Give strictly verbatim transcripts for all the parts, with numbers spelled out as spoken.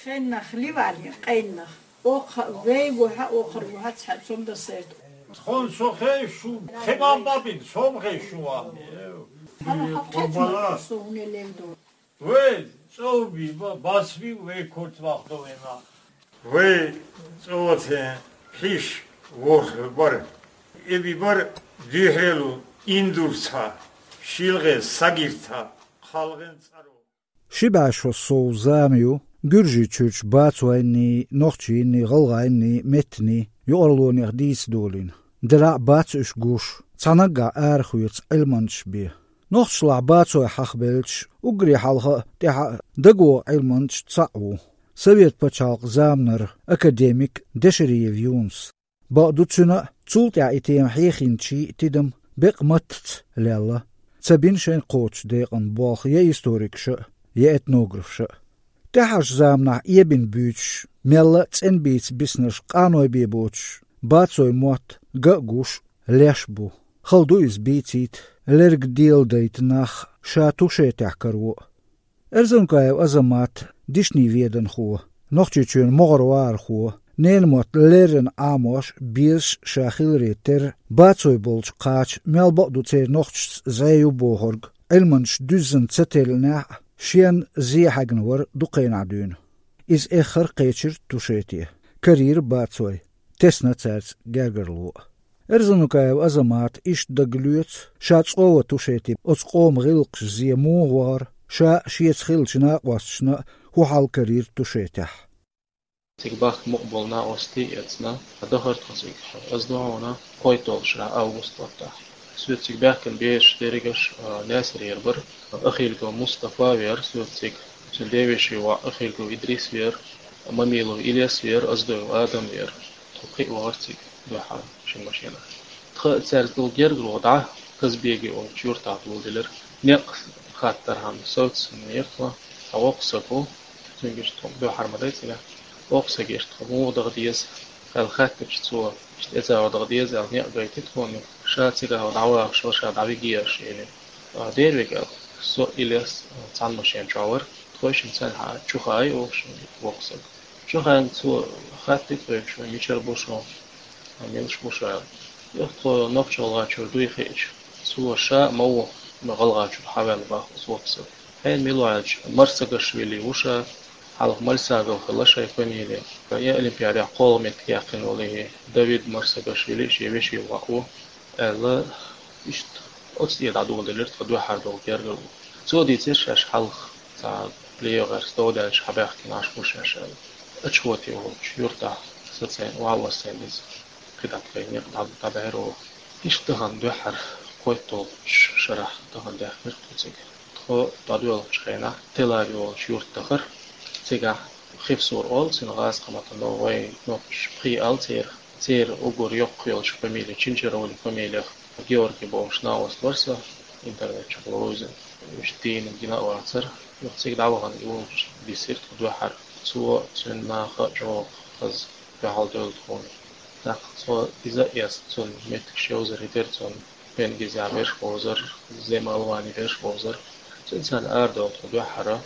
Къеннах ливали, къеннах. Оха вейгу хьа, охар гу хьа, цхьа цун да серт. Тхон со хей шу, химан бабин, сом хей шу ам. Хала хапхет Къурбала. Со уне левду. Вей, цоби, ба-, басби, вей корт вахтовена. Вей, цоцен, хиш, вор, бар. Эби бар, дюхрелу, индурца, шилгъе, сагирца, халгъен царо. Ши бӀаь шо сов зама ю Гуьржийчуьрчу бацойнний, нохчийнний, гӀалгӀайнний, меттаний юкъарлонех дийца долийна. Делахь а бац уьш гуш, цхьа наггахь арахоьцу Ӏилманчаш бен. Нохчашлахь бацой хьахабелча, уггаре хьалха а, тӀаьхьа а дагавогӀу Ӏилманчаш цхьаъ ву. Совет пачхьалкхан заманара академик Дешериев Юнус. Бакъду, цуьнан а, цул тӀаьхьа и тема хьехийначийн а тидам бекъа маттаца лелла. Ца бина шайна кхочуш декъан болх я историкаша а, я этнографаша а. ТӀаьхьарчу заманахь эбина буьйцуш, мелла а цӀена бийца биснарш къаной бен боцуш, бацой мотт ган а гуш, леш а бу. Хала ду иза бийцийта, лерг деладайта нах ша тушетехь каро а. Эрзанукаев Азамат, дишний веданхо, Нохчийчоьнан могӀара вахархо, ненан мотт леррина Ӏамош, безаш ша хиларе терра, бацой болчу кхача мел бакъ ду церан нохчашца зӀе ю бохург, Ӏилманчаш дуьззина ца теллинехь а, шен зе хьаьгна вара дукха хенахь дуьйна. Иза эххар а кхечира тушете, карийра бацой, тесна цаьрца гергарло а. Эрзанукаев Азамата иштта дагалоьцу, ша цӀа ван тушете оцу къоман гӀиллакхаш зе муха вахара, ша а, шеца хиллачу накъосташна а хӀун хьал карийра тушетехь. Цига бахка мукъа болу накъостий эцна, дахар тхо цига. Ас ду хьуна, кхойтталгӀачу шарахь август баттахь. Соьца цига баьхкина бераш дерригаш, а, Наьсарера бара. Ахилгов Мустафа веара соьца цига. Цуьнан девешин воӀ Ахилгов Идрис веара, Мамилов Илес веара, Оздоев Адам веара. Тхо кхин а вахара цига дуьххьара шина машенахь. Тхан цаьрца долу гергарло дӀа Казбеги олучу юьртахь доладелира. Некъ хаттархьама совцаснера тхо, цхьа воккха стаг ву, цуьнга иштта тхо дуьххьара ма дай цигахь. Воккха стаг иштта тхо муха даха деза аьлла хаьттича, цо иштта эцао даха деза аьлла некъ гайти тхуна, ша цигахь дӀавахаш вара, ша дӀавигий аша элира. А, дера вега аьлла, со а Илес а цхьана машен чохь вара. Тхойшинна цхьаьна чу хаьий оха шуна воккха стаг. Чу хаьйна цо хаттий тхоьга, шу мичара бу шу, милаш бу шу аьлла. Юха тхо Нохч-ГӀалгӀачуьра дуй хиъча, цо ша а ма ву, ма ГӀалгӀачуьра хьаваьлла бах оцу воккха стага. Хьенан мила ву аьлча, Марсагашвили ву ша, хьалха Мальсагов хилла шайн фамилия. Я Олимпиадехь кхоалгӀа меттиг яьккхина волу и Давид Марсагашвили шен вешин воӀ ву. Аьлла, иштта оцу тӀе дӀадоладелира тхан дуьххьара долу гергарло. Цо дийцира шаьш хьалха, цхьа плеераш довдаьлча хьабаьхкина Ӏаш бу шаьш аьлла. Ачхоте волчу юьртахь сацийна, охьа а воссийна иза, кхидӀа тхайна некъ дӀа-, дӀабаьхьира оха. Иштта тахана дуьххьара кхойтталгӀачу шарахь тахана даьхкира тхо цига. Тхо дӀадоьлхучу хенахь Телави волчу юьрта дахара. Цигахь Хевсур олу цуьнан гӀазкхийн маттахь, но вайн нохчаша пхи олу церан. Церан уггар йоккха йолчу фамилия, Чинчаровли фамилех Георгий бохуш накъост вара сан, интернет чохь ловзина. Уьш дийна гина а вацара. Юха цига дӀавахана и волчу диссира тхо дуьххьара. Цо, цуьнан наха а чӀогӀа хаза дуьхьал девлла тхуна. ТӀаккха цо иза а эцна, цунна меттигаш йовзар хӀиттира цунна. Пенгизехь берш бовзар, Зема Алвани берш бовзар. Цуьнца цхьаьна арадевлла тхо дуьххьара,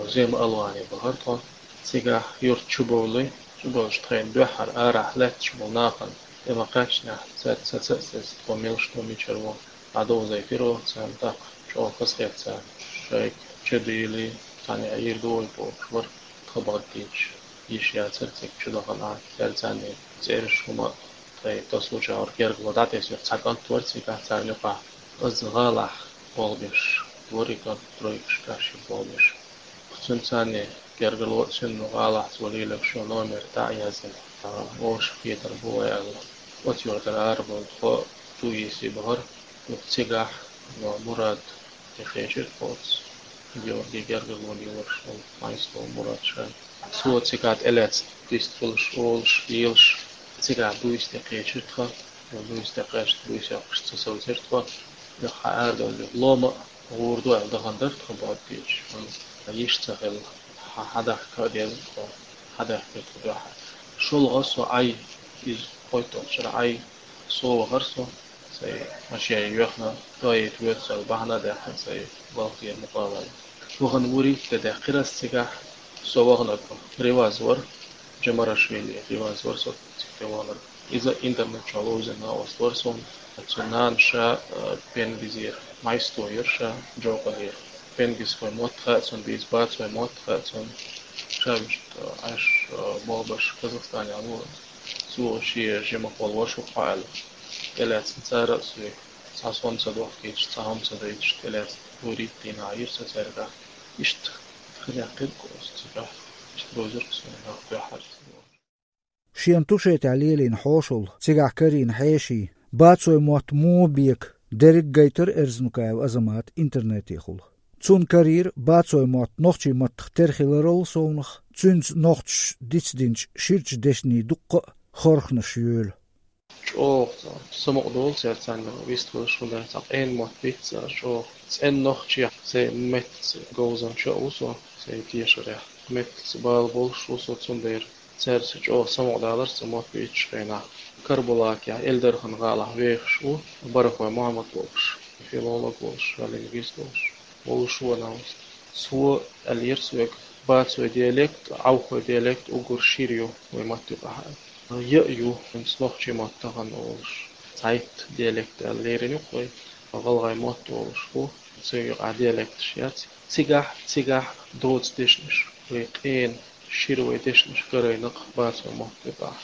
Зема Алвани бахара тхо. Цигахь юьрта чу бовлий, чу бовлуш тхайна дуьххьара арахь лаьтташ болу нахана тӀе ма-кхаьчнехь, цаьрца саца а саца тхо милаш ду, мичара ву, дӀадовзийтира оха царна. ТӀаккха чӀогӀа хазахета царна, шайга чу дийли, цхьаьна йийр ду вай бохуш вара, тхан бахьана дийцича. Йиш яцара цига чу дахана, цаьрца цӀераш хӀума тхайн тасалучу гӀур гергало дӀатесира, цхьа кӀант вара цигахь царна юкъахь. Иза гӀалахь болх беш, вара и кӀант тройкаш кхаьчна болх беш. Цуьнан царна гергало а цуьнан гӀалахь цо лелош йолу номер дӀа а яздина, оша кхетар бу вай аьлла, оцу юьртара арабевлла тхо дуй йисий бахара. Юха цигахь Мурад тӀе кхечира тхо оцу Георгий гергарло лелош волу Майслов Мурад шайна. Цо цигахь тӀелаьцна вист хуьлуш, олуш, лелаш, цигахь буьйса тӀе кхечира тхо. Буьйса тӀе кхаьчна, буьйса йоккхуш ца совцира тхо. Юха хьан арадевлла лома а гӀур ду аьлла дахана дара тхо, боху дийцича. Амма йиш ца хилла, хьан, хьан дахка а деза тхо, хьан дахкира тхо дуьххьара. ШолгӀа со Ӏай, иза кхойтталгӀачу шарахь Ӏай, со вахара со. Сайн машен йоьхна, тоийта воьду со аьлла, бахьана а даьккхина, сайн балхера мукъа а ваьлла. Вахана вурийтта де даьккхира ас цигахь, Со ваханарг Риваз вар, Джамарашвили Риваз вар со цигахь ваханарг. Иза интернет чохь ловзийна накъост вар суна. Цуьнан нана ша, а, пенгизера, Майсто яра ша, Джокъалера. Пенгизхой мотт хаьа цунна, бийца бацой мотт хаьа цунна. Ша вуьшта, а, Ӏаш, а, болх беш Казахстанехь ву. Цо шен жимахволу ваша ву-кх хьо аьлла. ТӀелаьцна цара а соьга, цхьа сом ца дохкуьйтуш, цхьа хӀума ца дайтуш, тӀелаьцна гурийттина Ӏийра со цаьргахь. Иштта хилла кхин кхуза цигахь, иштта бозург суна нах дуьхьал. Шена Тушетехь лелийна хьошалла, цигахь карийна хьеший, бацой мотт муха бека, дерриг гайтара Эрзнукаев Азамата интернетехула. Цунна карийра бацой мотт нохчийн маттах тера хиларал совнах, цуьнца нохчаша дицдинчу ширачу дешнийн дуккха а хорханаш йолу. ЧӀогӀа цхьа самукъадолу церан царна вистхуьлуш, хӀунда аьлча цхьа къена мотт бийца цара чӀогӀа. ЦӀена нохчех сайн меттаца говзанча а ву со, сайн тешарехь. Меттаца бала болуш ву со, цундела цаьрца чӀогӀа самукъадалар цхьа мотт бийцучу хенахь. Карабулакехь, Эльдархан гӀалахь вехаш ву Барахой Мухьаммад волуш, филолог волуш, лингвист волуш, волуш ву ван вист. Цо аьллера соьга, бацой диалект, Ӏовхой диалект уггар шира ю вайн матта юкъахь. Я а ю, хӀинца нохчийн мотт тахана олуш, цхьайтта диалект аьлла лерина ю-кх вай, гӀалгӀайн мотт олуш бу, цуьнан юкъахь диалекташ яц. Цигахь, цигахь доцу дешнаш, вай къена шира вай дешнаш карайна-кх бацой мотт юкъахь.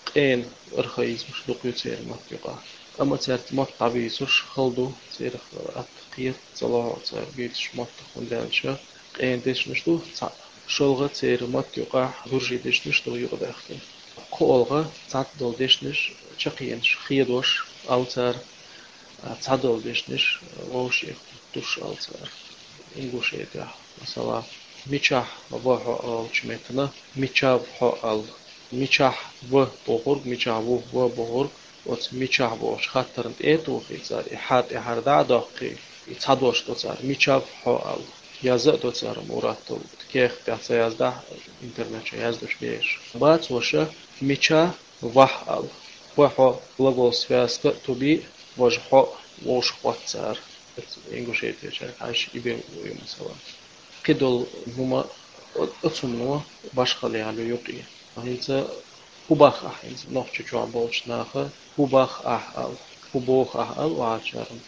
Къена архаизмаш дукха ю церан мотт юкъахь. Амма цаьрца мотт дӀабийцуш хала ду, церах атта кхета ца лохьу цара бийцуш маттах, хӀунда аьлча къена дешнаш ду цхьаъ. ШолгӀа церан матта юкъахь гуржийн дешнаш ду юкъадаьхкина. КхоалгӀа цхьацца долу дешнаш чекхйенаш хедош, олу цара, а, цхьадолу дешнаш вовшех туш, олу цара. Ингушетехь, масала, мичахь ва хьо олучу меттана мичав хьо аьлла. Мичахь ва бохург, мичахь ву ва бохург, оцу мичахь бохучу хаттарна тӀе а тухий цара, и хьа тӀаьхьара дӀа а доккхий, и цхьа дош до цара, мичав хьо аьлла. Яза а до цара, муратал, кехат тӀехь ца яздахь, интернет чохь яздеш бераш. Бацоша мича вахь аьлла. Ва хьо глагол связка а туби, важа хьо вовшахкхетта цара. Ингушетичара хьаьжча и бен ву, масала. Кхидолу хӀума о-, оцунно башхалла яьлла ю юкъе. ХӀинца хӀун боху ахь, хӀинца нохчийчохь болчу наха хӀун боху ахь аьлла, хӀун боху ахь аьлла, вахарчарна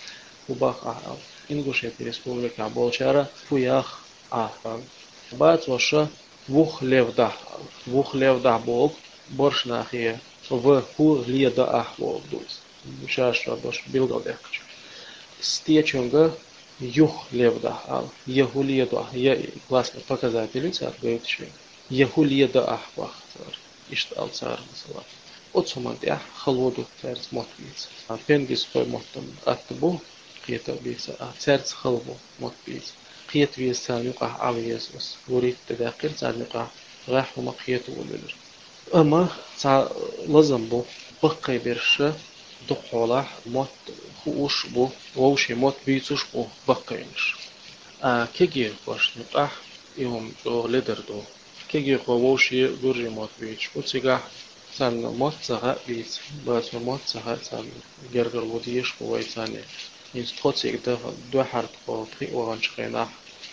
хӀун боху ахь аьлла. Ингушетийн республикехь болчара хӀун яху ахь аьлла. Бацоша вух левдахь аьлла. Вух левдахь боху борш нахе ва хӀу леда ахь боху ду иза. Ша-ша дош билгалдаьккхича. Стечунга юх левдахь аьлла. Я хӀу ледо ахь, я и классный показатель ю цара гойтуш вен. Я хӀу леда ахь боху цара. Иштта аьлла цара, масала. Оцу хӀуманна тӀехь хало ду цаьрца мотт бийца. Пенгизхой маттана атта бу, кхета а бийца, а цаьрца хала бу мотт бийца. Кхета веза царна юкъахь, Ӏан веза аса. Гуритта даьккхира царна юкъахь, гӀеххьа хӀума кхета волавелира. Амма цхьа лазам бу, баккхий берш дукхахьолахь мотт хууш бу, вовшийн мотт бийцуш бу баккхийнаш. А кегийрхошна юкъахь и хӀума чӀогӀа ледар ду. Кегийрхой вовшийн гуржийн мотт бийцуш бу, цигахь царна мотт ца хаьа бийца, бацой мотт ца хаьа царна, гергарло дезаш бу вай царна. ХӀинца тхо цига даха, дуьххьара тхо пхиъ ваханчу хенахь,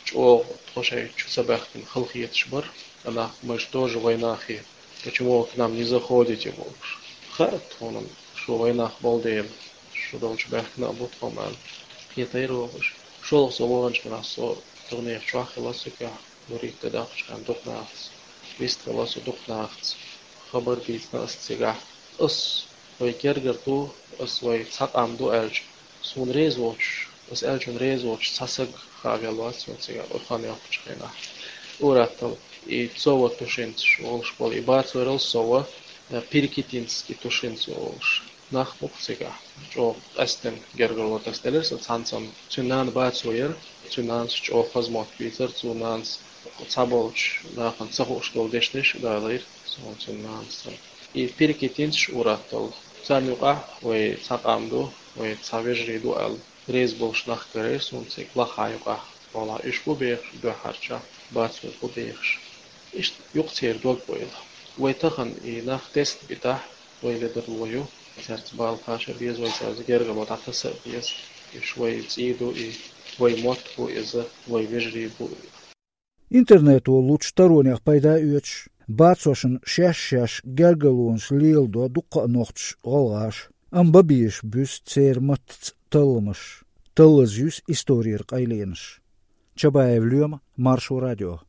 чӀогӀа тхо шайн чу ца баьхкина халахеташ бара, нах, мы же тоже вайнахи, почему вы к нам не заходите, бохуш. Хаьа тхуна, шу вайнах болу дела, шу долчу баьхкина а бу тхо, ма аьлла. Кхетийра вохуш. ШолгӀа со ваханчу хенахь со таханехь чохь хилла цигахь, гуритта даккхачу хенахь дукха нахаца. Вистхилла со дукха нахаца. Хабар дийцина аса цигахь. Ас вай гергара ду, ас вай цхьа къам ду аьлча, суна реза воцуш, ас аьллачунна реза воцуш цхьа саг хаа велла вац суна цигахь, ур хан йоккхучу хенахь. Ур-атталла, и Цова тушинцаш волуш болу, и бацорал Сова, э, перекитинский тушинцы волуш. Нах бу-кх цигахь, чӀогӀа къаьстина гергарло тасаделира сан цхьаьнцанна. Цуьнан нана бацо яра, цуьнан нанас чӀогӀа хаза мотт бийцара, цуьнан нанас цхьаболчу нахана ца хууш долу дешнаш а далийра суна цуьнан нанас. И перекитинцаш ур-атталла. Царна юкъахь вай цхьа къам ду, вай цхьа вежарий ду аьлла, реза болуш нах карийра суна цига лаххьа юкъахь. Валлахь, уьш бу бехаш, дуьххьарчахь бацо бу бехаш. Иштта юкъа церан дог бойла. Вай тахана и нах тесна битахь, вай ледарло ю, цаьрца бала кхаша а беза, вай цаьрца гергарло дӀатаса а беза. Уьш вай цӀий ду и, вай мотт бу иза, вай вежарий бу. Интернето лучу таронех пайда оьцуш, бацошна шаьш-шаьш гергарлонаш леладо дуккха а нохчаша, гӀалгӀаша, амма бан безаш буьсу церан маттаца талламаш, таллаза юьсу исторера къайленаш. Чабаев Лоьма, Маршо радио.